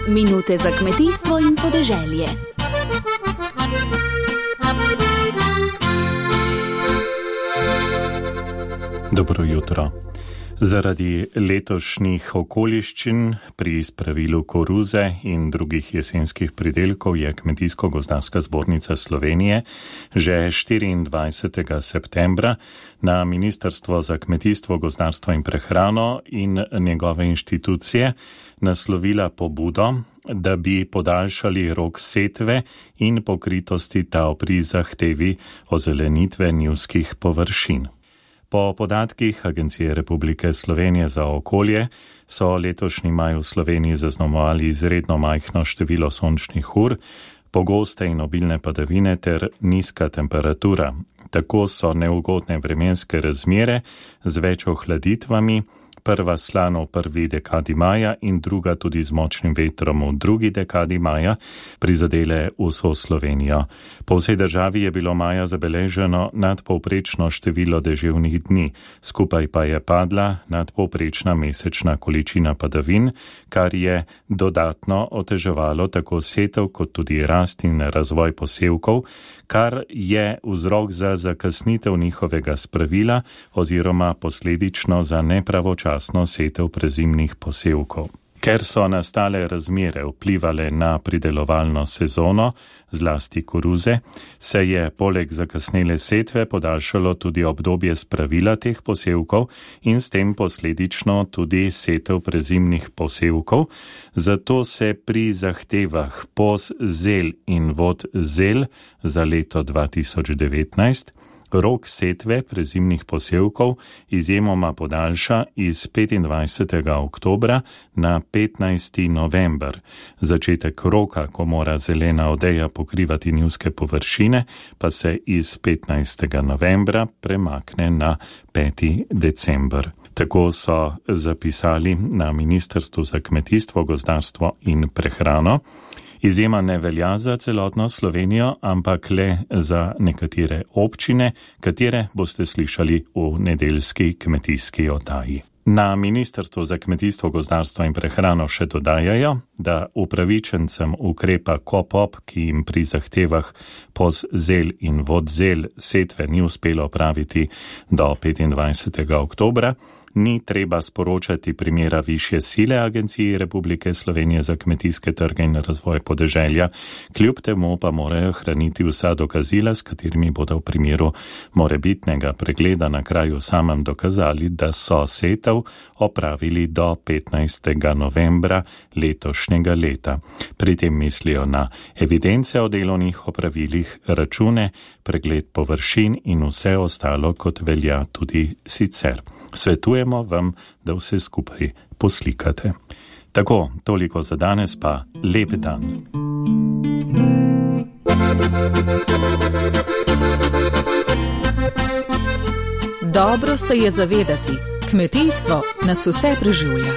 Minute za kmetijstvo in podeželje. Dobro jutro. Zaradi letošnjih okoliščin pri spravilu koruze in drugih jesenskih pridelkov je Kmetijsko-gozdarska zbornica Slovenije že 24. septembra na Ministrstvo za kmetijstvo, gozdarstvo in prehrano in njegove inštitucije naslovila pobudo, da bi podaljšali rok setve in pokritosti tal pri zahtevi ozelenitve njivskih površin. Po podatkih Agencije Republike Slovenije za okolje so letošnji maj v Sloveniji zaznamovali izredno majhno število sončnih ur, pogoste in obilne padavine ter nizka temperatura. Tako so neugodne vremenske razmere z več ohladitvami, prva slano v prvi dekadi maja in druga tudi z močnim vetrom v drugi dekadi maja, prizadele vso Slovenijo. Po vsej državi je bilo maja zabeleženo nadpovprečno število deževnih dni, skupaj pa je padla nadpovprečna mesečna količina padavin, kar je dodatno oteževalo tako setev kot tudi rast in razvoj posevkov, kar je vzrok za zakasnitev njihovega spravila oziroma posledično za nepravočasno setev prezimnih posevkov. Ker so nastale razmere vplivale na pridelovalno sezono, zlasti koruze, se je poleg zakasnele setve podaljšalo tudi obdobje spravila teh posevkov in s tem posledično tudi setev prezimnih posevkov, zato se pri zahtevah POS zel in VOD zel za leto 2019 rok setve prezimnih posevkov izjemoma podaljša iz 25. oktobra na 15. november. Začetek roka, ko mora zelena odeja pokrivati njivske površine, pa se iz 15. novembra premakne na 5. december. Tako so zapisali na Ministrstvu za kmetijstvo, gozdarstvo in prehrano. Izjema ne velja za celotno Slovenijo, ampak le za nekatere občine, katere boste slišali v nedeljski kmetijski oddaji. Na Ministrstvu za kmetijstvo, gozdarstvo in prehrano še dodajajo, da upravičencem ukrepa KOPOP, ki jim pri zahtevah POS zel in VOD zel setve ni uspelo opraviti do 25. oktobra, ni treba sporočati primera višje sile Agenciji Republike Slovenije za kmetijske trge in razvoj podeželja, kljub temu pa morajo hraniti vsa dokazila, s katerimi bodo v primeru morebitnega pregleda na kraju samem dokazali, da so setev opravili do 15. novembra letošnjega leta. Pri tem mislijo na evidence o delovnih opravilih, račune, pregled površin in vse ostalo, kot velja tudi sicer. Svetujemo vam, da vse skupaj poslikate. Tako, toliko za danes, pa lep dan. Dobro se je zavedati, kmetijstvo nas vse preživlja.